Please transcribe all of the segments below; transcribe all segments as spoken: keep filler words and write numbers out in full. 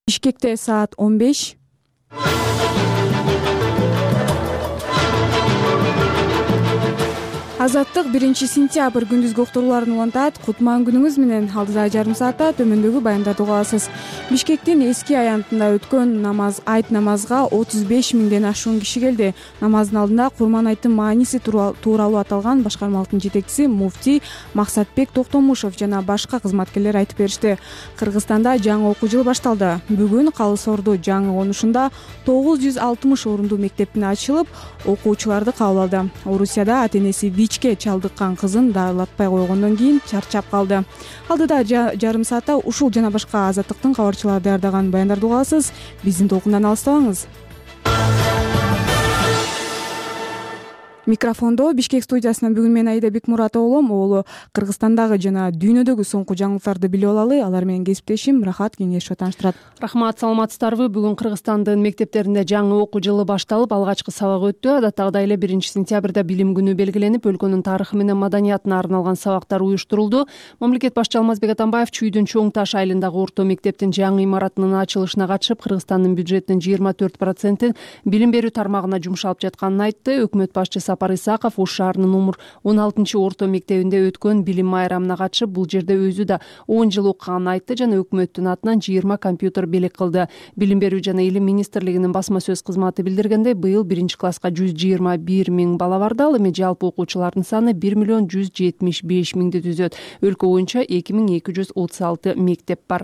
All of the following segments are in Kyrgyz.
Бишкекте саат он беш. Азаттык биринчи сентябрь күндүзгү уктурууларын улантат. Кутман күнүңүз менен. Алдыда жарым саатта төмөндөгү баяндарды уга аласыз. Бишкектин эски аянтында өткөн намаз айт намазга отуз беш миңден ашуун киши келди. Намаздын алдында Курман айттын мааниси тууралуу аталган башкармалыктын жетекчиси муфтий Максатбек Токтомушев жана башка кызматкерлер айтып беришти. Кыргызстанда жаңы окуу жылы башталды. Бүгүн Калы Соорду жаңы конушунда тогуз жүз алтымыш орундуу мектептин ачылып, окуучуларды кабыл алды. Орусияда ата-энеси ВИЧке чалдыккан кызын дарылатпай койгондон кийин чарчап калды. Алдыда жарым саатта ушул жана башка азаттыктын кабарчылары даярдаган баяндарды уга аласыз. Биздин толкундан алыстабаңыз. Микрофондо Бишкек студиясынан бүгүн мен Аида Бекмуратова болом. Оолу Кыргызстандагы жана дүйнөдөгү соңку жаңылыктарды билип алалы. Алар менен кесиптешим Рахат Кеңешова тааныштырат. Рахмат, саламатсыздарбы? Бүгүн Кыргызстандын мектептеринде жаңы окуу жылы башталып, алгачкы сабак өттү. Адаттагыдай эле биринчи сентябрда билим күнү белгиленип, өлкөнүн тарыхы менен маданиятына арналган сабактар уюштурулду. Мамлекет башчы Алмазбек Атамбаев Чүйдүн Чоң Таш айылындагы орто мектептин жаңы имаратынын ачылышына катышып, Кыргызстандын бюджетинин жыйырма төрт процентин билим берүү тармагына жумшалып жатканын айтты. Өкмөт башчысы Сапар Исаков Ош шаарынын номер он алтынчы орто мектебинде өткөн билим майрамына катышып, бул жерде өзү да он жыл окуганын айтты жана өкмөттүн атынан жыйырма компьютер белек кылды. Билим берүү жана илим министрлигинин басма сөз кызматы билдиргендей, быйыл биринчи класска жүз жыйырма бир миң бала барды, ал эми жалпы окуучулардын саны бир миллион жүз жетимиш беш миңди түзөт. Өлкө боюнча эки миң эки жүз отуз алты мектеп бар.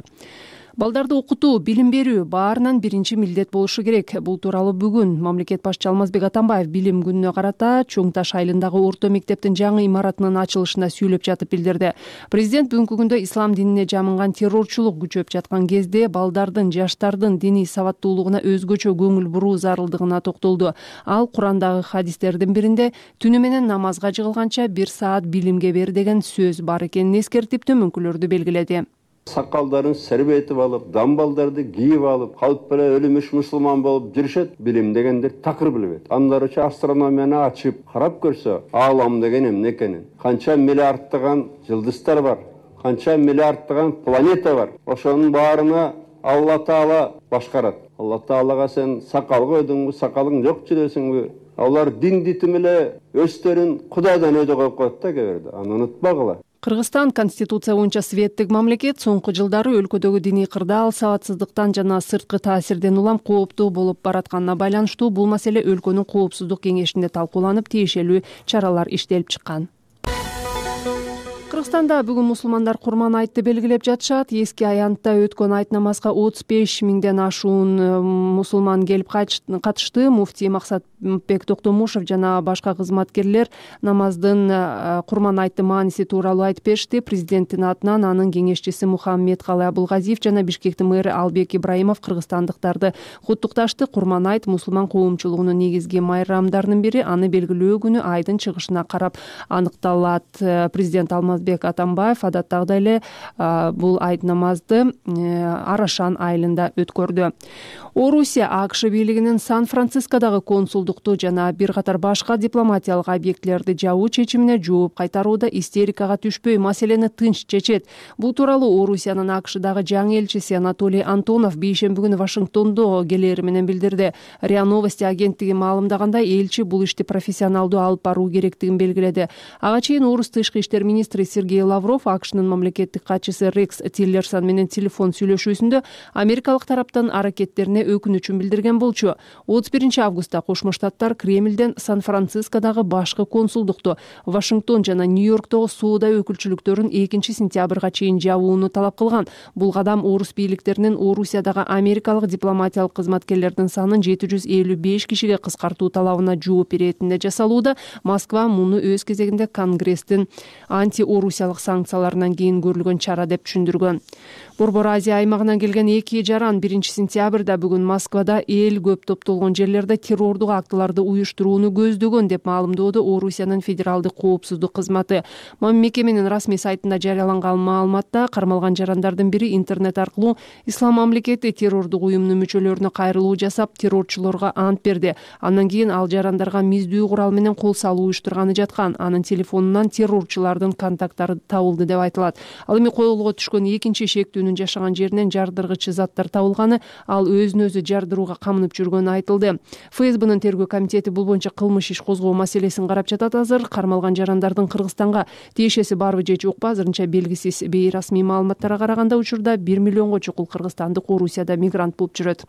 Балдарды окутуу, билим берүү баарынан биринчи милдет болушу керек. Бул тууралуу бүгүн мамлекет башчы Алмазбек Атамбаев билим күнүнө карата Чоң Таш айылындагы орто мектептин жаңы имаратынын ачылышында сүйлөп жатып билдирди. Президент бүгүнкү күндө ислам динине жамынган террорчулук күчөп жаткан кезде балдардын, жаштардын диний сабаттуулугуна өзгөчө көңүл буруу зарылдыгына токтолду. Ал Курандагы хадистердин биринде түнү менен намазга жыгылганча бир саат билимге бер деген сөз бар экенин эскертип, төмөнкүлөрдү белгиледи. Сакалдарын сербетип алып, дамбалдарды кийип алып, калп эле өлүмүш мусулман болуп жүрүшөт. Билим дегендер такыр билбейт. Андарыча астрономияны ачып карап көрсө, аалам деген эмне экенин, канча миллиарддаган жылдыздар бар, канча миллиарддаган планета бар. Ошонун баарына Алла Таала башкарат. Алла Таалага сен сакал койдуңбу, сакалың жок жүрөсүңбү? Алар дин дитим эле өздөрүн Кудайдан өйдө коюп коет да кээ бирде. Аны унутпагыла. Кыргызстан конституция боюнча светтик мамлекет. Соңку жылдары өлкөдөгү диний кырдаал, сабатсыздыктан жана сырткы таасирден улам кооптуу болуп баратканына байланыштуу бул маселе өлкөнүн коопсуздук кеңешинде талкууланып, тиешелүү чаралар иштелип чыккан. Кыргызстанда бүгүн мусулмандар Курман айтты белгилеп жатышат. Эски аянтта өткөн айт намазга отуз беш миңден ашуун мусулман келип катышты. Муфтий Максатбек Токтомушев жана башка кызматкерлер намаздын Курман айттын мааниси тууралуу айтып беришти. Президенттин атынан анын кеңешчиси Мухаммедкалы Абулгазиев жана Бишкектин мэрі Албек Ибраимов кыргызстандыктарды куттукташты. Курман айт мусулман коомчулугунун негизги майрамдарынын бири. Аны белгилөө күнү айдын чыгышына карап аныкталат. Президент Алмазбек Атамбаев адаттагыдай эле бул айт намазды Арашан айылында өткөрдү. Орусия АКШ бийлигинин Сан-Францискодагы консулдукту жана бир катар башка дипломатиялык объектилерди жабуу чечимине жооп кайтарууда истерикага түшпөй маселени тынч чечет. Бул тууралуу Орусиянын АКШдагы жаңы элчиси Анатолий Антонов бейшемби күнү Вашингтондо келери менен билдирди. РИА Новости агенттиги маалымдагандай, элчи бул ишти профессионалдуу алып баруу керектигин белгиледи. Ага чейин орус тышкы иштер министри Сергей Лавров АКШнын мамлекеттик катчысы Рекс Тиллерсон менен телефон сүйлөшүүсүндө америкалык тараптын аракеттерине өкүнүчүн билдирген болчу. отуз биринчи августта Кошмо Штаттар Кремлден Сан-Францискодагы башкы консулдукту Вашингтон жана Нью-Йорктогу соода өкүлчүлүктөрүн экинчи сентябрга чейин жабууну талап кылган. Бул кадам орус бийликтеринин Орусиядагы америкалык дипломатиялык кызматкерлердин санын жети жүз элүү беш кишиге кыскартуу талабына жооп беретинде жасалууда. Москва муну өз кезегинде Конгресстин анти-орусиялык санкцияларынан кийин көрүлгөн чара деп түшүндүргөн. Борбор Азия аймагынан келген эки жаран биринчи сентябрда бүгүн Москвада эл көп топтолгон жерлерде террордук актыларды уюштурууну көздөгөн деп маалымдоодо Орусиянын федералдык коопсуздук кызматы. Мекеменин расмий сайтында жарыяланган маалыматта кармалган жарандардын бири интернет аркылуу Ислам мамлекети террордук уюмунун мүчөлөрүнө кайрылуу жасап, террорчулорго ант берди. Андан кийин ал жарандарга миздүү курал менен кол салуу уюштурганы жаткан. Анын телефонунан террорчулардын контакт заттар табылды деп айтылат. Ал эми колго түшкөн экинчи шектүүнүн жашаган жеринен жардыргыч заттар табылганы, ал өзүн өзү жардырууга камынып жүргөнү айтылды. ФСБнын тергөө комитети бул боюнча кылмыш иш козгоо маселесин карап жатат азыр. Кармалган жарандардын Кыргызстанга тиешеси барбы же жокпу азырынча белгисиз. Бейрасмий маалыматтарга караганда учурда бир миллионго чукул кыргызстандык Орусияда мигрант болуп жүрөт.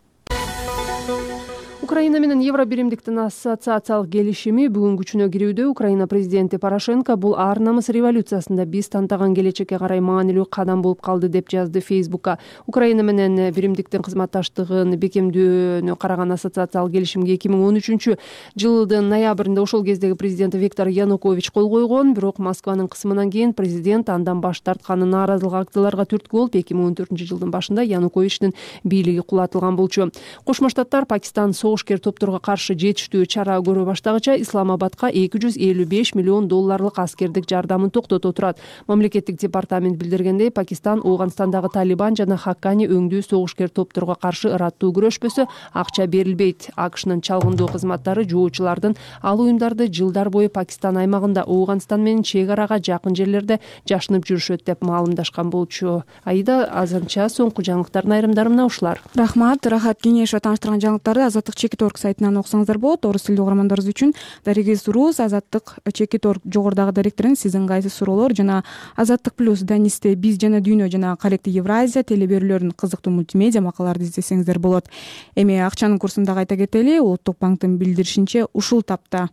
Украина менен Евро биримдиктин ассоциациялык келишими бүгүн күчүнө кирүүдө. Украина президенти Порошенко бул ар намыс революциясында биз тантаган келечекке карай маанилүү кадам болуп калды деп жазды Фейсбукка. Украина менен биримдиктин кызматташтыгын бекемдөөнү караган ассоциациялык келишимге эки миң он үчүнчү жылдын ноябрында ошол кездеги президент Виктор Янукович кол койгон. Бирок Москванын кысымынан кийин президент андан баш тартканы нааразылык акцияларга түрткү болуп, эки миң он төртүнчү жылдын башында Януковичтин бийлиги кулатылган болчу. Кошмо Штаттар Пакистан согушкер топторго каршы жетиштүү чара көрө баштагыча Исламабадка эки жүз элүү беш миллион долларлык аскердик жардамын токтото турат. Мамлекеттик департамент билдиргендей, Пакистан Ооганстандагы Талибан жана Хаккани өңдүү согушкер топторго каршы ыраттуу күрөшпөсө акча берилбейт. АКШнын чалгындоо кызматтары жоочулардын ал уюмдарды жылдар бою Пакистан аймагында Ооганстан менен чек арага жакын жерлерде жашынып жүрүшөт деп маалымдашкан болчу. Айда азырынча соңку жаңылыктардын айрымдары мына ушулар. Рахмат. Рахат Кеңешова тааныштырган жаңылыктарды Азаттык Чекиторг сайтынан окусаңыздар болот. Орус тилдүү угармандарыбыз үчүн Даригиз Рус, Азаттык Чекиторг жогорудагы директорунун сиздин кайсы суроолор жана Азаттык плюс Данисте биз жана дүйнө жана Коллектив Евразия телеберүүлөрүнүн кызыктуу мультимедиа макалаларды издесеңиздер болот. Эми акчанын курсун дагы айта кетели. Улуттук банктын билдиришинче ушул тапта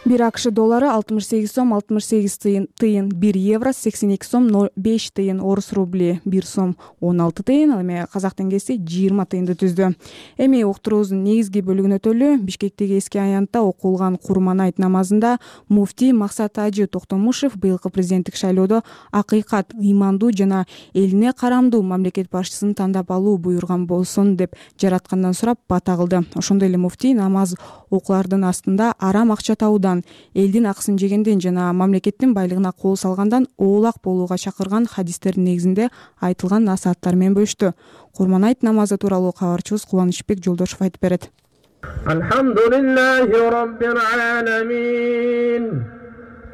бир АКШ доллары алтымыш сегиз сом алтымыш сегиз тыйын, бир евро сексен эки сом ноль беш тыйын, орус рубли бир сом он алты тыйын, ал эми казак теңгеси жыйырма тыйынды түздү. Эми уктуруубуздун негизги бөлүгүнө өтөлү. Бишкектеги эски аянтта окулган Курман айт намазында муфтий Максат Ажы Токтомушев быйылкы президенттик шайлоодо акыйкат, ыймандуу жана элине карамдуу мамлекет башчысын тандап алуу буйруган болсун деп жараткандан сурап бата кылды. Ошондой эле муфтий намаз окуулардын астында арам акча табуудан, элдин акысын жегенден жана мамлекеттин байлыгына кол салгандан оолак болууга чакырган хадистердин негизинде айтылган насааттар менен бөлүштү. Курман айт намазы тууралуу кабарчыбыз Кубанычбек Жолдошов айтып берет. Алхамдулиллахи раббил аламин.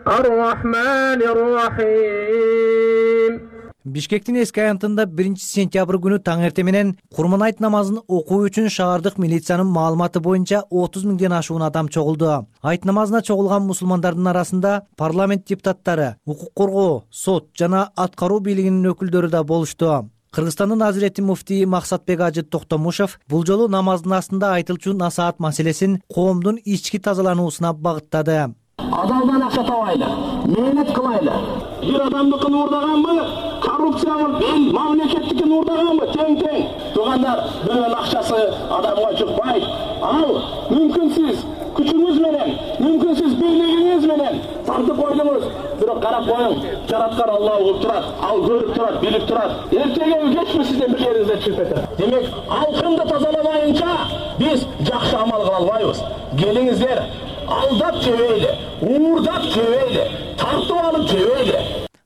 Ар-рахманир рахим. Бишкектин эски аянтында биринчи сентябрь күнү таң эрте менен Курман айт намазын окуу үчүн шаардык милициянын маалыматы боюнча отуз миңден ашуун адам чогулду. Айт намазына чогулган мусулмандардын арасында парламент депутаттары, укук коргоо, сот жана аткаруу бийлигинин өкүлдөрү да болушту. Кыргызстандын Азирети муфтии Максатбек Ажы Токтомушев бул жолу намаздын астында айтылчу насаат маселесин коомдун ички тазалануусуна багыттады. Адалдан акча табайлы, мээнет кылайлы. Бир адамдыкын уурдаганбы, коррупция кылып, эл мамлекеттикин уурдаганбы, тең-тең. Тугандар, бирөөнүн акчасы адамга жукпайт. Ал мүмкүнсүз күчүңүз менен, мүмкүнсүз бийлигиңиз менен тартып койдуңуз. Бирок карап коюң, жараткан Алла угуп турат, ал көрүп турат, билип турат. Эртеге кечпи сиздин бир жериңизде чыгып кетет. Демек, алкымды тазаламайынча биз жакшы амал кыла албайбыз. Келиңиздер, алдап жебейли, уурдап жебейли, тартып алып жебейли.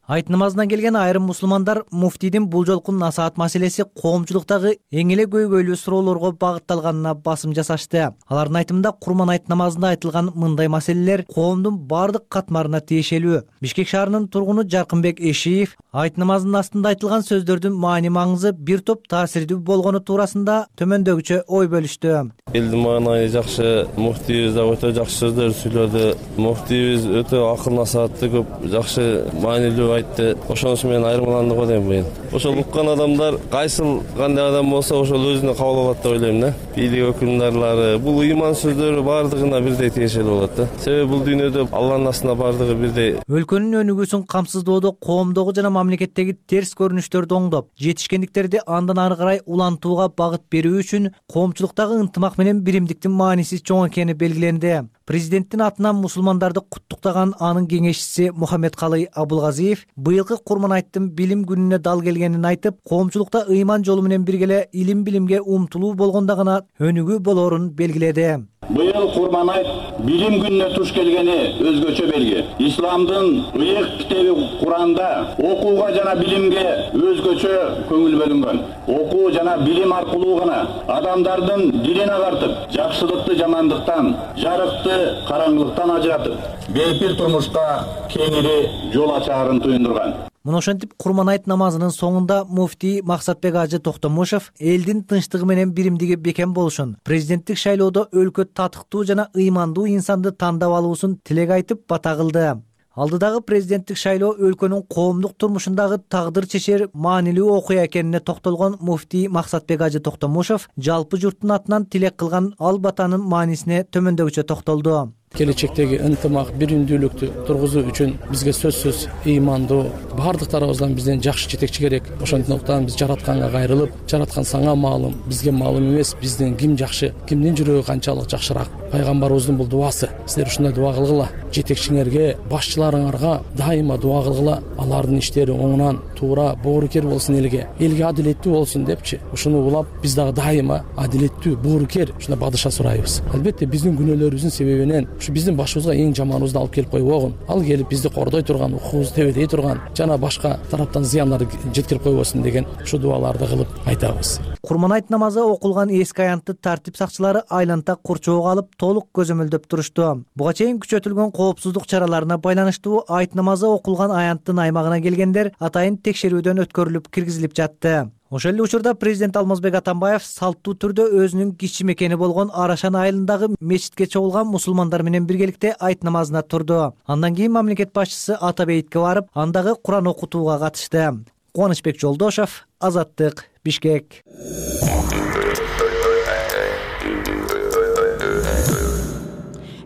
Айт намазына келген айрым мусулмандар муфтийдин бул жолку насаат маселеси коомчулуктагы эң эле көйгөйлүү суроолорго багытталганына басым жасашты. Алардын айтымында Курман айт намазында айтылган мындай маселелер коомдун бардык катмарына тиешелүү. Бишкек шаарынын тургуну Жаркынбек Эшиев айт намазынын астында айтылган сөздөрдүн маани маңызы бир топ таасирдүү болгону туурасында төмөндөгүчө ой бөлүштү. Элдин маанайы жакшы, муфтийибиз да өтө жакшы сөздөр сүйлөдү. Муфтийибиз өтө акыл насаатты көп жакшы маанилүү айтты. Ошонусу менен айырмаланды го дейм мен. Ошол уккан адамдар кайсыл кандай адам болсо ошол өзүнө кабыл алат деп ойлойм да. Бийлик өкүлдарлары бул ыйман сөздөрү бардыгына бирдей тиешелүү болот да. Себеби бул дүйнөдө Алланын астында бардыгы бирдей. Өлкөнүн өнүгүүсүн камсыздоодо коомдогу жана мамлекеттеги терс көрүнүштөрдү оңдоп, жетишкендиктерди андан ары карай улантууга багыт берүү үчүн коомчулуктагы ынтымак менен биримдиктин мааниси чоң экени белгиленди. Президенттин атынан мусулмандарды куттуктаган анын кеңешчиси Мухаммедкалый Абулгазиев быйылкы Курман айттын билим күнүнө дал келгенин айтып, коомчулукта ыйман жолу менен биргеле илим билимге умтулуу болгондо гана өнүгүү болоорун белгиледи. Быйыл Курманайт билим күнүнө туш келгени өзгөчө белги. Исламдын ыйык китеби Куранда окууга жана билимге өзгөчө көңүл бөлүнгөн. Окуу жана билим аркылуу гана адамдардын дилин агартып, жакшылыкты жамандыктан, жарыкты караңгылыктан ажыратып, бейпир турмушка кеңири жол ачаарын туюндурган. Мына ошентип Курманайт намазынын соңунда муфтий Максатбек Ажы Токтомушев элдин тынчтыгы менен биримдиги бекем болушун, президенттик шайлоодо өлкө татыктуу жана ыймандуу инсанды тандап алуусун тилек айтып бата кылды. Алдыдагы президенттик шайлоо өлкөнүн коомдук турмушундагы тагдыр чечер маанилүү окуя экенине токтолгон муфтий Максатбек Ажы Токтомушев жалпы журттун атынан тилек кылган ал батанын маанисине төмөндөгүчө токтолду. Келечектеги ынтымак, биримдүүлүктү тургузуу үчүн бизге сөзсүз ыймандуу бардыктарыбыздан бизден жакшы жетекчи керек. Ошондуктан биз жаратканга кайрылып, жараткан саңа маалым, бизге маалым эмес, бизден ким жакшы, кимдин жүрөгү канчалык жакшыраак. Пайгамбарыбыздын бул дуасы. Силер ушундай дуа кылгыла. Жетекчиңерге, башчыларыңарга дайыма дуа кылгыла. Алардын иштери оңунан, туура, боорукер болсун элге. Элге адилеттүү болсун депчи. Ушуну улап, биз дагы дайыма адилеттүү, боорукер ушундай падыша сурайбыз. Албетте биздин күнөөлөрүбүздүн себебинен ушу биздин башыбызга эң жаманыбызды алып келип койбогун. Ал келип бизди кордой турган, укугубузду тебедей турган, жана башка тараптан зыяндар жеткирип койбосун деген ушу дуаларды кылып айтабыз. Курманайт намазы окулган эски аянтты тартип сакчылары айланта курчоого алып толук көзөмөлдөп турушту. Буга чейин күчөтүлгөн коопсуздук чараларына байланыштуу айт намазы окулган аянттын аймагына келгендер атайын текшерүүдөн өткөрүлүп киргизилип жатты. Ошол эле учурда президент Алмазбек Атамбаев салттуу түрдө өзүнүн кичи мекени болгон Арашан айылындагы мечитке чогулган мусулмандар менен биргеликте айт намазына турду. Андан кийин мамлекет башчысы Ата бейитке барып, андагы Куран окутууга катышты. Кубанычбек Жолдошов, Азаттык, Бишкек.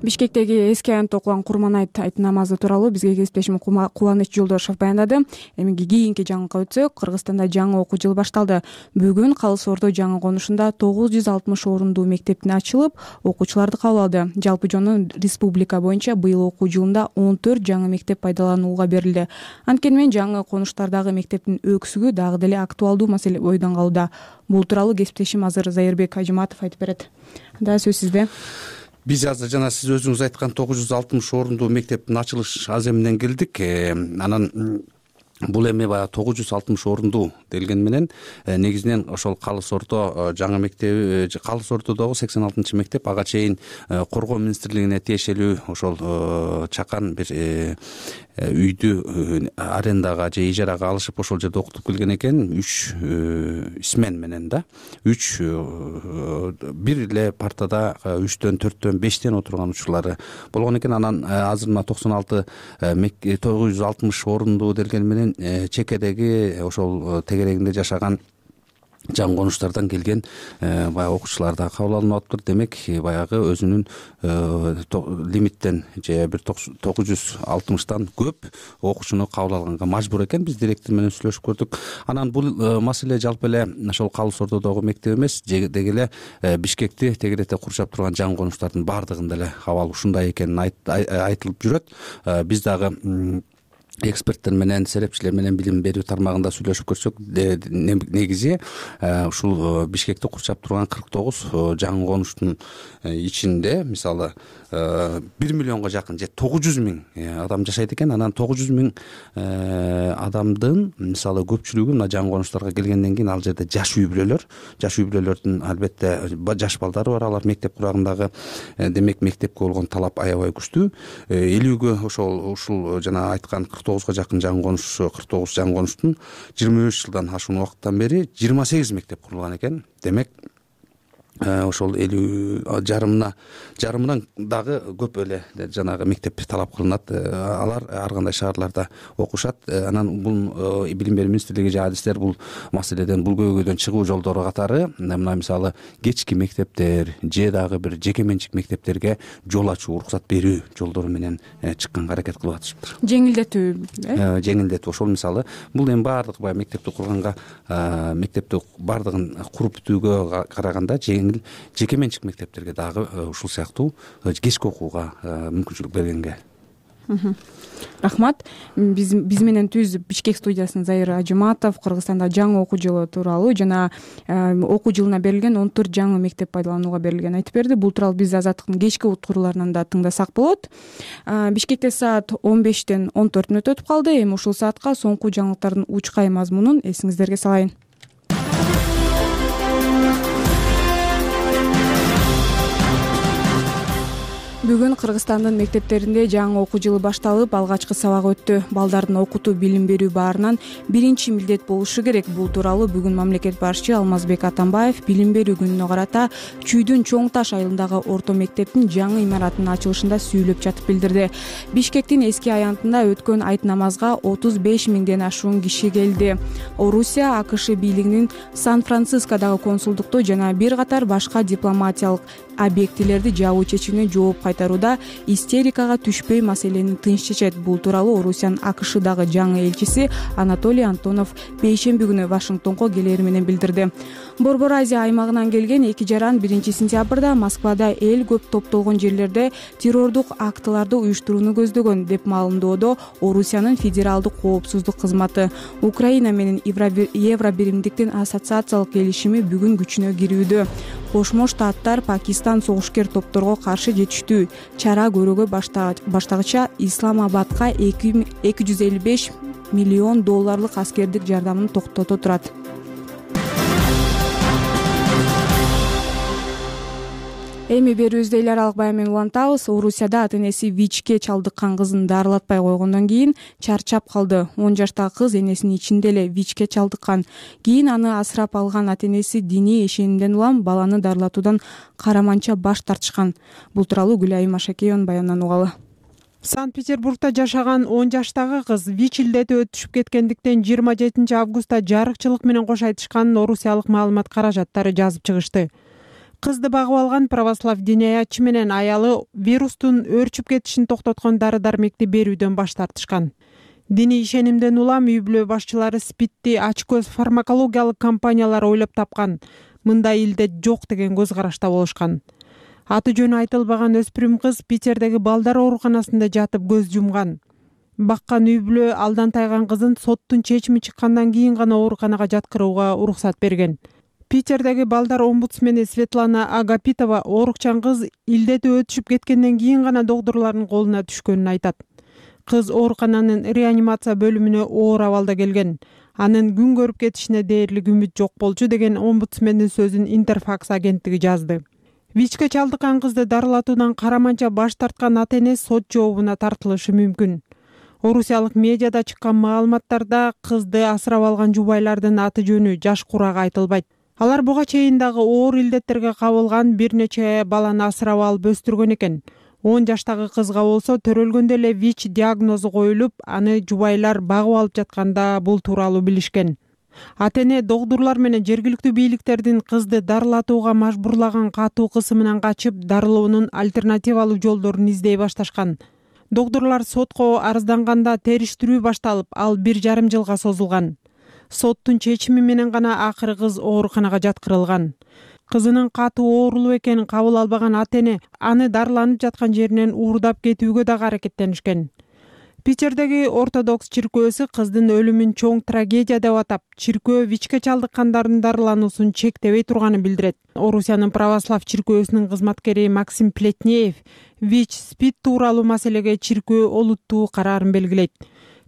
Бишкектеги эски аянтта окулган Курманайт айт намазы тууралуу бизге кесиптешим Кубаныч Жолдошов баяндады. Эми кийинки жаңылыкка өтсөк, Кыргызстанда жаңы окуу жылы башталды. Бүгүн Калыс Ордо жаңы конушунда тогуз жүз алтымыш орундуу мектептин ачылып, окуучуларды кабыл алды. Жалпы жөнү республика боюнча быйыл окуу жылында он төрт жаңы мектеп пайдаланууга берилди. Анткени менен жаңы конуштардагы мектептин өксүгү дагы деле актуалдуу маселе бойдон калууда. Бул тууралуу кесиптешим азыр Зайырбек Ажыматов айтып берет. Да, сөз сизде. Биз азыр жана сиз өзүңүз айткан тогуз жүз алтымыш орундуу мектептин ачылыш аземинен келдик. Анан бул эми баягы тогуз жүз алтымыш орундуу делгени менен негизинен ошол Калыс Ордо жаңы мектеби, Калыс Ордодогу сексен алтынчы мектеп ага чейин Коргоо министрлигине тиешелүү ошол чакан бир үйдү арендага же ижарага алышып ошол жерде окутуп келген экен. Үч смен менен да. Үч бир эле партада үчтөн, төрттөн, бештен отурган учурлары болгон экен. Анан азыр мына токсон алты тогуз жүз алтымыш орундуу делгени менен чекедеги ошол тегерегинде жашаган жаңы конуштардан келген баягы окуучулар да кабыл алынып атыптыр. Демек баягы өзүнүн лимиттен же бир тогуз жүз алтымыштан көп окуучуну кабыл алганга мажбур экен. Биз директор менен сүйлөшүп көрдүк. Анан бул маселе жалпы эле ошол Калыс Ордодогу мектеп эмес, деги эле Бишкекти тегерете курчап турган жаңы конуштардын баардыгында эле абал ушундай экенин айтылып жүрөт. Биз дагы эксперттер менен, серепчилер менен билим берүү тармагында сүйлөшүп көрсөк, негизи ушул Бишкекти курчап турган кырк тогуз жаңы конуштун ичинде мисалы бир миллионго жакын же тогуз жүз миң адам жашайт экен. Анан тогуз жүз миң адамдын мисалы көпчүлүгү мына жаңы конуштарга келгенден кийин ал жерде жаш үй бүлөлөр, жаш үй бүлөлөрдүн албетте жаш балдары бар, алар мектеп курагындагы. Демек мектепке болгон талап аябай күчтүү. Элүүгө ошол ушул жана айткан кырк тогузга жакын жаңы конуш, кырк тогуз жаңы конуштун жыйырма беш жылдан ашуун убакыттан бери жыйырма сегиз мектеп курулган экен. Демек ошол элүү жарымына жарымынан дагы көп эле жанагы мектеп талап кылынат. Алар ар кандай шаарларда окушат. Анан бул билим берүү министрлиги же адистер бул маселеден, бул көйгөйдөн чыгуу жолдору катары мына мисалы кечки мектептер же дагы бир жеке менчик мектептерге жол ачуу, уруксат берүү жолдору менен чыкканга аракет кылып атышыптыр. Жеңилдетүү, э? Жеңилдетүү. Ошол мисалы бул эми баардык баягы мектепти курганга, мектепти баардыгын куруп бүтүүгө караганда жеңил жеке менчик мектептерге дагы ушул сыяктуу кечки окууга мүмкүнчүлүк бергенге Рахмат. Биз биз менен түз Бишкек студиясынын Заир Ажыматов Кыргызстанда жаңы окуу жылы тууралуу жана окуу жылына берилген он төрт жаңы мектеп пайдаланууга берилгенин айтып берди. Бул тууралуу биз Азаттыктын кечки уткурууларынан да тыңдасак болот. Бишкекте саат он бештен он төрт мүнөт өтүп калды. Эми ушул саатка соңку жаңылыктардын учкай мазмунун эсиңиздерге салайын. Бүгүн Кыргызстандын мектептеринде жаңы окуу жылы башталып, алгачкы сабак өттү. Балдардын окутуу, билим берүү баарынан биринчи милдет болушу керек. Бул тууралуу бүгүн мамлекет башчы Алмазбек Атамбаев билим берүү күнүнө карата Чүйдүн Чоң Таш айылындагы орто мектептин жаңы имаратынын ачылышында сүйлөп жатып билдирди. Бишкектин эски аянтында өткөн айт намазга отуз беш миңден ашуун киши келди. Орусия, АКШ бийлигинин Сан-Францискодагы консулдукту жана бир катар башка дипломатиялык объектилерди жабуу чечимине жооп кайтарууда истерикага түшпөй маселени тынч чечет. Бул тууралуу Орусиянын АКШдагы жаңы элчиси Анатолий Антонов бейшемби күнү Вашингтонго келери менен билдирди. Борбор Азия аймагынан келген эки жаран биринчи сентябрда Москвада эл көп топтолгон жерлерде террордук актыларды уюштурууну көздөгөн деп маалымдоодо Орусиянын федералдык коопсуздук кызматы. Украина менен Евробиримдиктин ассоциациялык келишими бүгүн күчүнө кирүүдө. Кошмо Штаттар Пакистан согушкер топторго каршы жетиштүү чара көрүүгө баштагыча Исламабадка эки жүз элүү беш миллион долларлык аскердик жардамын токтото турат. Эми берүүбүздү эл аралык баян менен улантабыз. Орусияда ата-энеси ВИЧке чалдыккан кызын дарылатпай койгондон кийин чарчап калды. он жаштагы кыз энесинин ичинде эле ВИЧке чалдыккан. Кийин аны асырап алган ата-энеси диний ишенимден улам баланы дарылатуудан караманча баш тартышкан. Бул тууралуу Гүлайым Ашакееванын баянынан угалы. Санкт-Петербургда жашаган он жаштагы кыз ВИЧ илдети өтүшүп кеткендиктен жыйырма жетинчи августта жарыкчылык менен кош айтышканын орусиялык маалымат каражаттары жазып чыгышты. Кызды багып алган православ диниаятчы менен аялы вирустун өөрчүп кетишин токтоткон дары-дармекти берүүдөн баш тартышкан. Диний ишенимден улам үй бүлө башчылары СПИДти ачкөз фармакологиялык компаниялар ойлоп тапкан, мындай илдет жок деген көз карашта болушкан. Аты жөнү айтылбаган өспүрүм кыз Питердеги балдар ооруканасында жатып көз жумган. Баккан үй бүлө алдан тайган кызын соттун чечими чыккандан кийин гана ооруканага жаткырууга уруксат берген. Питердеги балдар омбудсмени Светлана Агапитова оорукчан кыз илдети өтүшүп кеткенден кийин гана докторлордун колуна түшкөнүн айтат. Кыз оорукананын реанимация бөлүмүнө оор абалда келген. Анын күн көрүп кетишине дээрлик үмүт жок болчу деген омбудсмендин сөзүн Интерфакс агенттиги жазды. ВИЧке чалдыккан кызды дарылатуудан караманча баш тарткан ата-эне сот жообуна тартылышы мүмкүн. Орусиялык медиада чыккан маалыматтарда кызды асырап алган жубайлардын аты жөнү, жаш курагы айтылбайт. Алар буга чейин дагы оор илдеттерге кабылган бир нече баланы асырап алып өстүргөн экен. он жаштагы кызга болсо төрөлгөндө эле ВИЧ диагнозу коюлуп, аны жубайлар багып алып жатканда бул тууралуу билишкен. Ата-эне докторлор менен жергиликтүү бийликтердин кызды дарылатууга мажбурлаган катуу кысымынан качып, дарылоонун альтернативалуу жолдорун издей башташкан. Докторлор сотко арызданганда териштирүү башталып, ал бир жарым жылга созулган. Соттун чечими менен гана акыры кыз ооруканага жаткырылган. Кызынын катуу оорулуу экенин кабыл албаган ата-эне аны дарыланып жаткан жеринен уурдап кетүүгө дагы аракеттенишкен. Питердеги ортодокс чиркөөсү кыздын өлүмүн чоң трагедия деп атап, чиркөө ВИЧке чалдыккандардын дарылануусун чектебей турганын билдирет. Орусиянын православ чиркөөсүнүн кызматкери Максим Плетнеев ВИЧ СПИД тууралуу маселеге чиркөө олуттуу караарын белгилейт.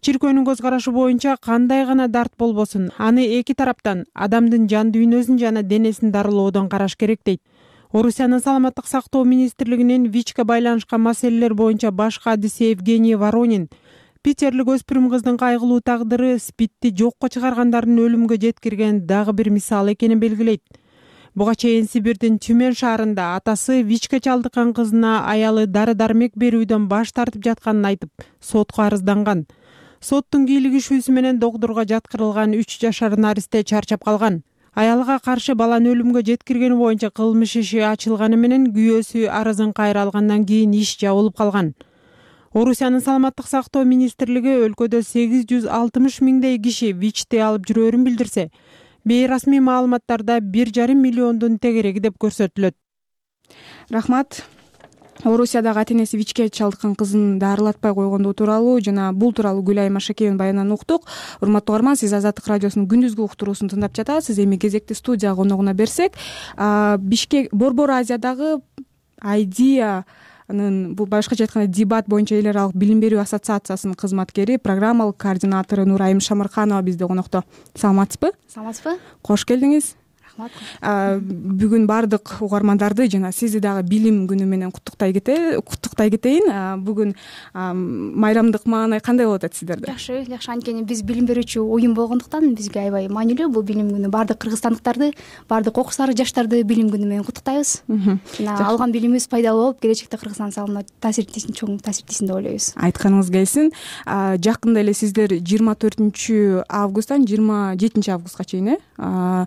Чиркөөнүн көз карашы боюнча кандай гана дарт болбосун, аны эки тараптан адамдын жан дүйнөсүн жана денесин дарылоодон караш керек дейт. Орусиянын саламаттык сактоо министрлигинин ВИЧке байланышкан маселелер боюнча баш кадиси Евгений Воронин питерлик өспүрүм кыздын кайгылуу тагдыры СПИДти жокко чыгаргандардын өлүмгө жеткирген дагы бир мисал экенин белгилейт. Буга чейин Сибирдин Тюмень шаарында атасы ВИЧке чалдыккан кызына аялы дары-дармек берүүдөн баш тартып жатканын айтып, сотко арызданган. Соттун кийлигишүүсү менен докторго жаткырылган үч жашар наристе чарчап калган. Аялга каршы баланы өлүмгө жеткиргени боюнча кылмыш иши ачылганы менен күйөөсү арызын кайра алгандан кийин иш жабылып калган. Орусиянын саламаттык сактоо министрлиги өлкөдө сегиз жүз алтымыш миңдей киши ВИЧти алып жүрөөрүн билдирсе, бейрасмий маалыматтарда бир жарым миллиондун тегереги деп көрсөтүлөт. Рахмат. Орусиядагы ата энеси ВИЧке чалдыккан кызын дарылатпай койгондугу тууралуу жана бул тууралуу Гүлайым Машакеевинин баянынан уктук. Урматтуу угарман, сиз Азаттык радиосунун күндүзгү уктуруусун тыңдап жатасыз. Эми кезекти студия коногуна берсек, Бишкек Борбор Азиядагы Айдиянын, бул башкача айтканда Дебат боюнча эл аралык билим берүү ассоциациясынын кызматкери, программалык координатору Нурайым Шамырханова бизде конокто. Саламатсызбы? Саламатсызбы? Кош келдиңиз. Бүгүн баардык угармандарды жана сизди дагы билим күнү менен куттуктай куттуктай кетейин. Бүгүн майрамдык маанай кандай болуп атат сиздерде? Жакшы, жакшы. Анткени биз билим берүүчү уюм болгондуктан бизге аябай маанилүү бул билим күнү. Баардык кыргызстандыктарды, баардык окуусар жаштарды билим күнү менен куттуктайбыз. Жана алган билимибиз пайдалуу болуп, келечекте Кыргызстан салымына таасир этсин, чоң таасир этсин деп ойлойбуз. Айтканыңыз келсин. Жакында эле сиздер жыйырма төртүнчү августтан жыйырма жетинчи августка чейин э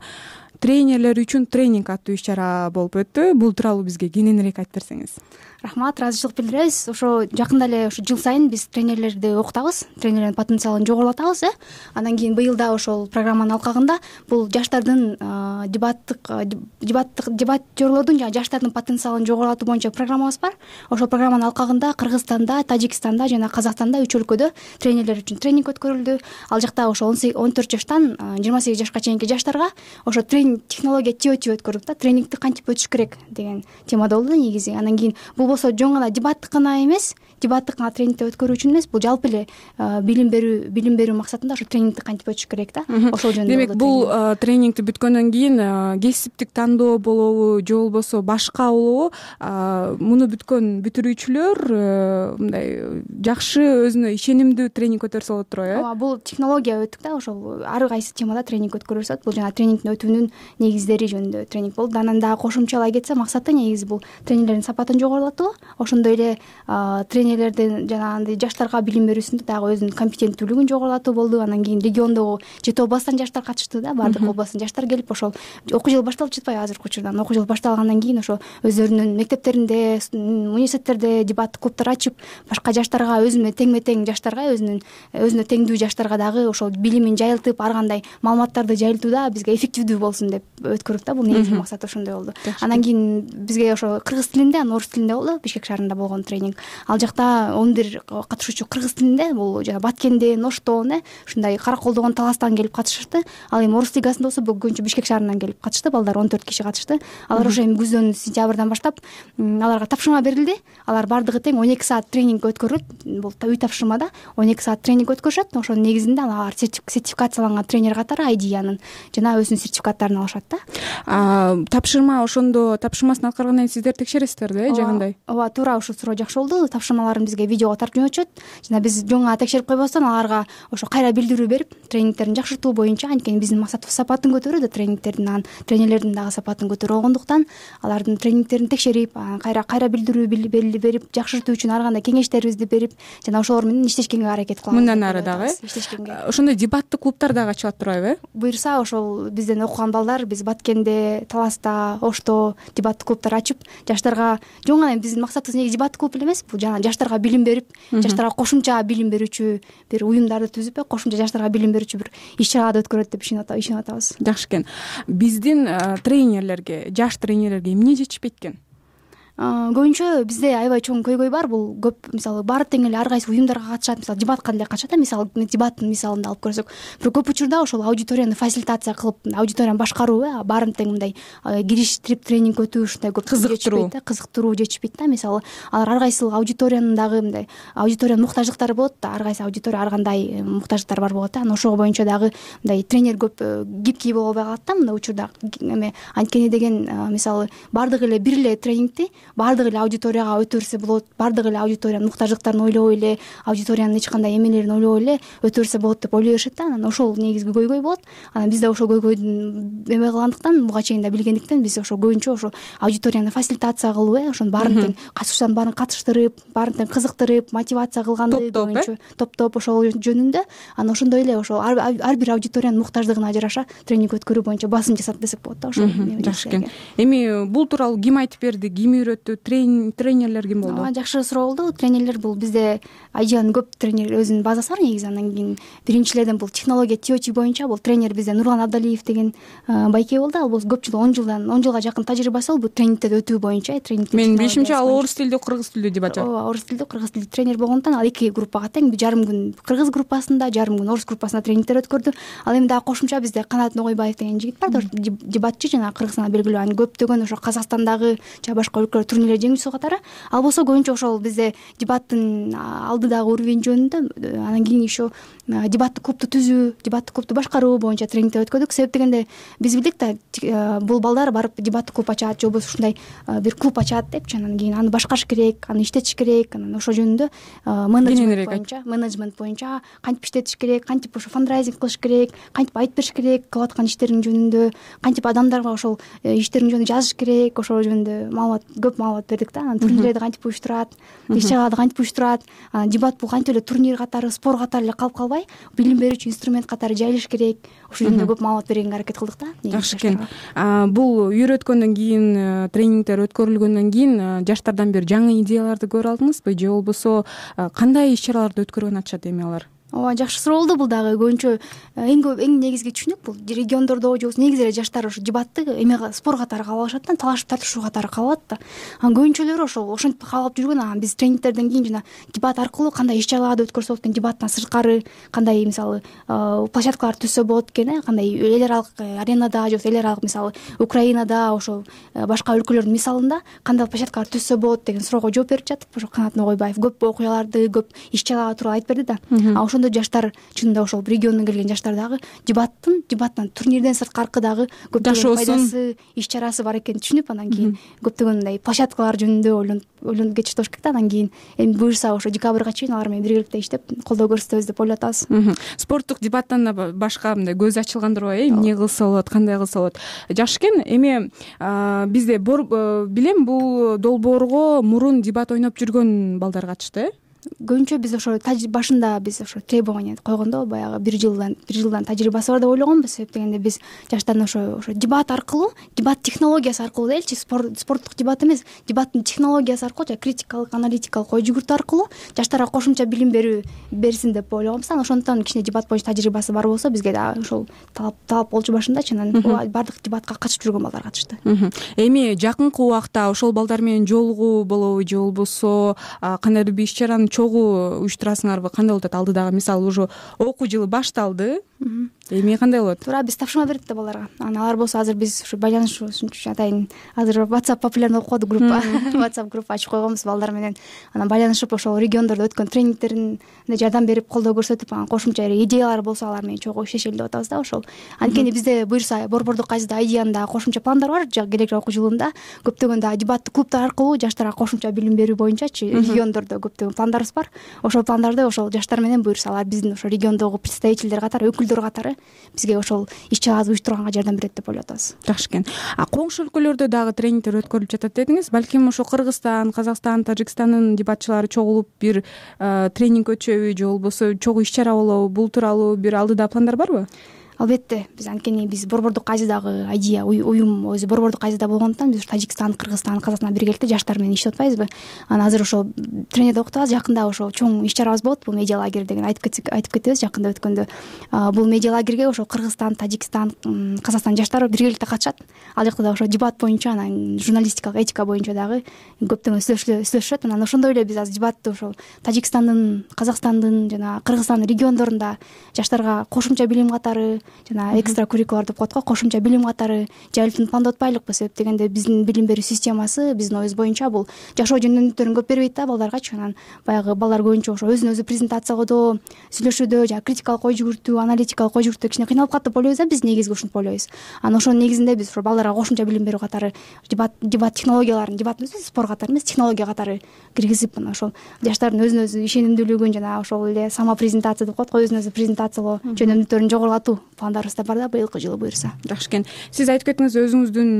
тренерлер үчүн тренинг аттуу иш-чара болуп өттү. Бул тууралуу бизге кененирээк айтып берсеңиз. Рахмат, ыраазычылык билдиребиз. Ошо жакында эле ошо жыл сайын биз тренерлерди окутабыз, тренерлердин потенциалын жогорулатабыз, э. Андан кийин быйыл да ошол программанын алкагында бул жаштардын дебаттык дебаттык дебаттерлордун жана жаштардын потенциалын жогорулатуу боюнча программабыз бар. Ошол программанын алкагында Кыргызстанда, Тажикстанда жана Казакстанда үч өлкөдө тренерлер үчүн тренинг өткөрүлдү. Ал жакта ошо он төрт жаштан жыйырма сегиз жашка чейинки жаштарга ошо тренинг технология теотип өткөрдүк да, тренингти кантип өтүш керек деген темада болду негизи. Андан кийин бул болсо жөн гана дебаттык гана эмес, дебаттык гана тренингти өткөрүү үчүн эмес, бул жалпы эле билим берүү билим берүү максатында ошо тренингти кантип өтүш керек да. Ошол жөнүндө. Демек, бул тренингти бүткөндөн кийин кесиптик тандоо болобу же болбосо башка болобу, муну бүткөн бүтүрүүчүлөр мындай жакшы өзүнө ишенимдүү тренинг өтөрсө болот турбайбы, э? Ооба, бул технология өттүк да, ошол ар кайсы темада тренинг өткөрүлсөт. Бул жана тренингдин өтүүнүн негиздери жөнүндө тренинг болду. Анан дагы кошумчалай кетсе, максаты негизи бул тренерлердин сапатын жогорулатуу, ошондой эле тренерлердин жана андай жаштарга билим берүүсүндө дагы өзүнүн компетенттүүлүгүн жогорулатуу болду. Андан кийин региондогу жети областтан жаштар катышты да, баардык областтан жаштар келип, ошол окуу жылы башталып жатпайбы азыркы учурда. Окуу жылы башталгандан кийин ошо өздөрүнүн мектептеринде, университеттерде дебаттык клубтар ачып, башка жаштарга, өзүнө теңме тең жаштарга, өзүнүн өзүнө теңдүү жаштарга дагы ошол билимин жайылтып, ар кандай маалыматтарды жайылтууда бизге эффективдүү болсун деп өткөрдүк да. Бул негизги максат ошондой болду. Андан кийин бизге ошо кыргыз тилинде, анан орус тилинде болду Бишкек шаарында болгон тренинг. Ал жакта он бир катышуучу кыргыз тилинде, бул жана Баткенден, Оштон, э ушундай Караколдогон, Таластан келип катышышты. Ал эми орус лигасында болсо бул көбүнчө Бишкек шаарынан келип катышты. Балдар он төрт киши катышты. Алар ошо эми күздөн сентябрдан баштап аларга тапшырма берилди. Алар бардыгы тең он эки саат тренинг өткөрүлөт. Бул үй тапшырмада он эки саат тренинг өткөрүшөт. Ошонун негизинде алар сертификацияланган тренер катары Айдиянын жана өзүнүн сертификаттарын алышат да. Тапшырма ошондо тапшырмасын аткаргандан кийин сиздер текшересиздерби, э, же кандай? Ооба, туура ушул суроо жакшы болду. Тапшырмаларын бизге видеого таркмеп өтүшөт. Жана биз жөн гана текшерип койбостон аларга ошо кайра билдирүү берип, тренингтерин жакшыртуу боюнча, анткени биздин максатыбыз сапатын көтөрүү да, тренингтердин, анан тренерлердин дагы сапатын көтөрүү болгондуктан алардын тренингтерин текшерип, кайра кайра билдирүү берип, жакшыртуу үчүн ар кандай кеңештерибизди берип, жана ошолор менен иштешкенге аракет кылабыз. Мындан ары дагы ошондой дебаттык клубтар дагы ачылат турбайбы, э? Буюрса, ошол бизден окуган балдар биз Баткенде, Таласта, Ошто дебаттык клубтар ачып, жаштарга жөн гана биздин максатыбыз негизи дебаттык клуб эле эмес, бул жана жаштарга билим берип, жаштарга кошумча билим берүүчү бир уюмдарды түзүп, кошумча жаштарга билим берүүчү бир иш-чараларды өткөрөт деп ишенип атабыз. Жакшы экен. Биздин тренерлерге, жаш тренерлерге эмне жетишпейт экен? Көбүнчө бизде аябай чоң көйгөй бар. Бул көп, мисалы, баары тең эле ар кайсы уюмдарга катышат, мисалы, дебатка деле катышат, мисалы, дебаттын мисалында алып көрсөк. Бирок көп учурда ошол аудиторияны фасилитация кылып, аудиторияны башкаруу, э, баарын тең мындай кириштирип тренинг өтүү ушундай көп кызыктыруу, кызыктыруу жетишпейт да. Мисалы, алар ар кайсы аудиториянын дагы мындай аудиториянын муктаждыктары болот да, ар кайсы аудитория ар кандай муктаждыктары бар болот да. Анан ошого боюнча дагы мындай тренер көп гибкий боло албай калат да мындай учурда. Эме анткени деген, мисалы, баардыгы эле бир эле тренингти баардыгы эле аудиторияга өтөрсө болот, баардыгы эле аудиториянын муктаждыктарын ойлобой эле, аудиториянын эч кандай эмелерин ойлобой эле өтөрсө болот деп ойлой беришет да. Анан ошол негизги көйгөй болот. Анан бизде ошол көйгөйдүн эме кылгандыктан, буга чейин да билгендиктен биз ошо көбүнчө ошо аудиторияны фасилитация кылуу, э, ошонун баарын тең катышуучулардын баарын катыштырып, баарын тең кызыктырып, мотивация кылганды көбүнчө топ-топ ошол жөнүндө. Анан ошондой эле ошол ар бир аудиториянын муктаждыгына жараша тренинг өткөрүү боюнча басым жасат десек болот да. Ошол жакшы экен. Эми бул тууралуу ким айтып берди, ким үйрөттү? өттү, тренерлер ким болду? Жакшы суроо болду. Тренерлер бул бизде айжан көп тренер өзүнүн базасы бар негизи. Андан кийин биринчилерден бул технология тиочи боюнча бул тренер бизде Нурлан Абдалиев деген байке болду. Ал бул көп жыл он жылдан он жылга жакын тажрыйбасы бол бул тренингтерди өтүү боюнча. Менин билишимче ал орус тилдүү, кыргыз тилдүү деп атат. Ооба, орус тилдүү, кыргыз тилдүү тренер болгондуктан ал эки группага тең. Жарым күн кыргыз группасында, жарым күн орус группасында тренингтер өткөрдү. Ал эми дагы кошумча бизде Канат Ногойбаев деген жигит бар, дебатчы, жана Кыргызстанда белгилүү. Анын көптөгөн ошо Казакстандагы жана башка өлкөлөр турнирлер жеңүүчүсү катары. Ал болсо көбүнчө ошол бизде дебаттын алдыдагы уровень жөнүндө, анан кийин еще дебаттык клубду түзүү, дебаттык клубду башкаруу боюнча тренингтер өткөрдүк. Себеп дегенде биз билдик да, бул балдар барып дебаттык клуб ачат же болбосо ушундай бир клуб ачат депчи, анан кийин аны башкарыш керек, аны иштетиш керек, анан ошол жөнүндө менеджмент боюнча, менеджмент боюнча кантип иштетиш керек, кантип ошо фандрайзинг кылыш керек, кантип айтып бериш керек кылып аткан иштериң жөнүндө, кантип адамдарга ошол иштериң жөнүндө жазыш керек, ошол жөнүндө маалымат, көп маалымат бердик да. Анан турнирлерди кантип уюштурат, иш чараларды кантип уюштурат, анан дебат бул кантип эле турнир катары, спор катары эле калып калбай, билим берүүчү инструмент катары жайылыш керек. Ошол жөнүндө көп маалымат бергенге аракет кылдык да. Жакшы экен. Бул үйрөткөндөн кийин, тренингтер өткөрүлгөндөн кийин жаштардан бир жаңы идеяларды көрө алдыңызбы же болбосо кандай иш чараларды өткөргөн атышат эми алар? Ооба, жакшы суроо болду. Бул дагы көбүнчө эң көп эң негизги түшүнүк бул региондордо же болбосо негизи эле жаштар ошо дебатты эме спор катары кабыл алышат да, талашып тартышуу катары кабыл алат да. Анан көбүнчөлөрү ошол ошентип кабыл алып жүргөн. Анан биз тренингтерден кийин жана дебат аркылуу кандай иш чараларды өткөрсө болот экен, дебаттан сырткары кандай мисалы площадкалар түзсө болот экен, э кандай эл аралык аренада же болбосо эл аралык мисалы Украинада, ошол башка өлкөлөрдүн мисалында кандай площадкалар түзсө болот деген суроого жооп берип жатып, ошо Канат Ногойбаев көп окуяларды, көп иш чаралар тууралуу айтып берди да. А ошондо жаштар чынында ошол региондон келген жаштар дагы дебаттын дебаттан турнирден сырткаркы дагы көптөгөн пайдасы, иш чарасы бар экенин түшүнүп, анан кийин көптөгөн мындай площадкалар жөнүндө ойлонуп ойлонуп кетишти болуш керек да. Анан кийин эми буюрса ошо декабрга чейин алар менен биргеликте иштеп колдоо көрсөтөбүз деп ойлоп атабыз. Спорттук дебаттан башка мындай көз ачылгандырбы, э эмне кылса болот, кандай кылса болот. Жакшы экен. Эми бизде билем бул долбоорго мурун дебат ойноп жүргөн балдар катышты, э көбүнчө биз ошо башында биз ошо требование койгондо баягы бир жылдан бир жылдан тажрыйбасы бар деп ойлогонбуз. Себеп дегенде биз жаштардан ошо ошо дебат аркылуу, дебат технологиясы аркылуу делчи, спорттук дебат эмес, дебаттын технологиясы аркылуу жана критикалык, аналитикалык ой жүгүртүү аркылуу жаштарга кошумча билим берүү берсин деп ойлогонбуз. Анан ошондуктан кичине дебат боюнча тажрыйбасы бар болсо бизге дагы ошол талап талап болчу башындачы. Анан баардык дебатка катышып жүргөн балдар катышты. Эми жакынкы убакта ошол балдар менен жолугуу болобу же болбосо кандайдыр бир иш чараны чогуу уюштурасыңарбы? Кандай болуп атат алдыдагы? Мисалы уже окуу жылы башталды, эми кандай болот? Туура, биз тапшырма бердик да балдарга. Анан алар болсо азыр биз ушу байланышуу үчүн атайын азыр WhatsApp популярный болуп калды, группа WhatsApp группа ачып койгонбуз балдар менен. Анан байланышып ошол региондордо өткөн тренингтерине жардам берип, колдоо көрсөтүп, анан кошумча идеялар болсо алар менен чогуу иштешели деп атабыз да. Ошол анткени бизде буюрса Борбордук Азизде Айдиянын дагы кошумча пландар бар. Келечек окуу жылында көптөгөн дагы дебаттык клубтар аркылуу жаштарга кошумча билим берүү боюнчачы региондордо көптөгөн пландарыбыз бар. Ошол пландарды ошол жаштар менен буюрса алар биздин ошо региондогу представительдер катары, өкүлдөр катары бизге ошол иш чараларды уюштурганга жардам берет деп ойлоп атабыз. Жакшы экен. А коңшу өлкөлөрдө дагы тренингтер өткөрүлүп жатат дедиңиз. Балким ошо Кыргызстан, Казакстан, Тажикстандын дебатчылары чогулуп бир тренинг өтүшөбү же болбосо чогуу иш чара болобу? Бул тууралуу бир алдыда пландар барбы? Албетте, биз анткени биз Борбордук Азиядагы Айдия уюм өзү Борбордук Азияда болгондуктан биз Тажикстан, Кыргызстан, Казакстан биргеликте жаштар менен иштеп атпайбызбы? Анан азыр ошол тренерде окутабыз. Жакында ошол чоң иш чарабыз болот. Бул медиа лагерь деген айтып кетсек айтып кетебиз. Жакында өткөндө бул медиа лагерге ошол Кыргызстан, Тажикстан, Казакстан жаштары биргеликте катышат. Ал жакта да ошо дебат боюнча, анан журналистикалык этика боюнча дагы көптөгөн сүйлөшүшөт. Анан ошондой эле биз азыр дебатты ошол Тажикстандын, Казакстандын жана Кыргызстандын региондорунда жаштарга кошумча билим катары жана экстра куррикулар деп коет го, кошумча билим катары жайылтууну пландап атпайлыкпы? Себеп дегенде биздин билим берүү системасы биздин оюбуз боюнча бул жашоо жөнүндөрүн көп бербейт да балдаргачы. Анан баягы балдар көбүнчө ошо өзүн өзү презентациялоодо, сүйлөшүүдө жана критикалык ой жүгүртүү, аналитикалык ой жүгүртүүдө кичине кыйналып калат деп ойлойбуз да. Биз негизги ушинтип ойлойбуз. Анан ошонун негизинде биз ошо балдарга кошумча билим берүү катары дебат дебат технологияларын, дебат эмес, спор катары эмес, технология катары киргизип, анан ошол жаштардын өзүн өзү ишенимдүүлүгүн жана ошол эле самопрезентация деп коет го, өзүн өзү презентациялоо жөнүндөрүн жогорулатуу пландарыбызда бар да быйылкы жылы буюрса. Жакшы экен. Сиз айтып кеттиңиз, өзүңүздүн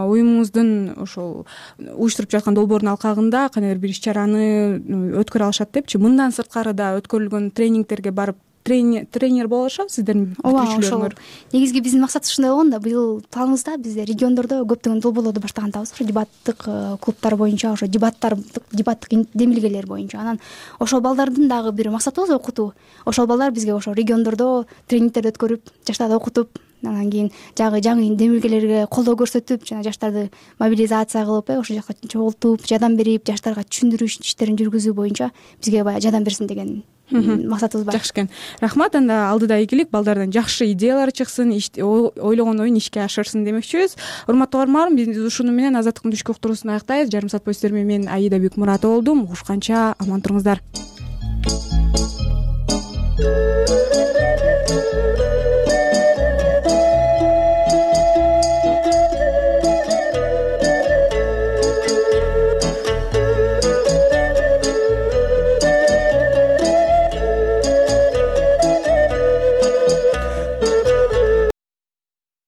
уюмуңуздун ошол уюштуруп жаткан долбоордун алкагында кандайдыр бир иш чараны өткөрө алышат депчи. Мындан сырткары да өткөрүлгөн тренингтерге барып тренер боло алышабы сиздердин бүтүрүүчүлөрүңөр? Негизги биздин максатыбыз ушундай болгон да, быйыл планыбызда бизде региондордо көптөгөн долбоорлорду баштаган атабыз, ошо дебаттык клубтар боюнча, ошо дебаттар дебаттык демилгелер боюнча. Анан ошол балдардын дагы бир максатыбыз окутуу. Ошол балдар бизге ошо региондордо тренингтерди өткөрүп, жаштарды окутуп, анан кийин жагы жаңы демилгелерге колдоо көрсөтүп, жана жаштарды мобилизация кылып, ошол жака чогултуп, жардам берип, жаштарга түшүндүрүү иштерин жүргүзүү боюнча бизге баягы жардам берсин деген максатыбыз бар. Жакшы экен. Рахмат. Анда алдыда ийгилик, балдардан жакшы идеялар чыксын, ойлогон оюн ишке ашырсын демекчүбүз. Урматтуу угармандар, биз ушуну менен Азаттыктын түшкү уктуруусун аяктайбыз. Жарым саат бою сиздер менен мен Аида Бекмуратова болдум. Угушканча аман туруңуздар.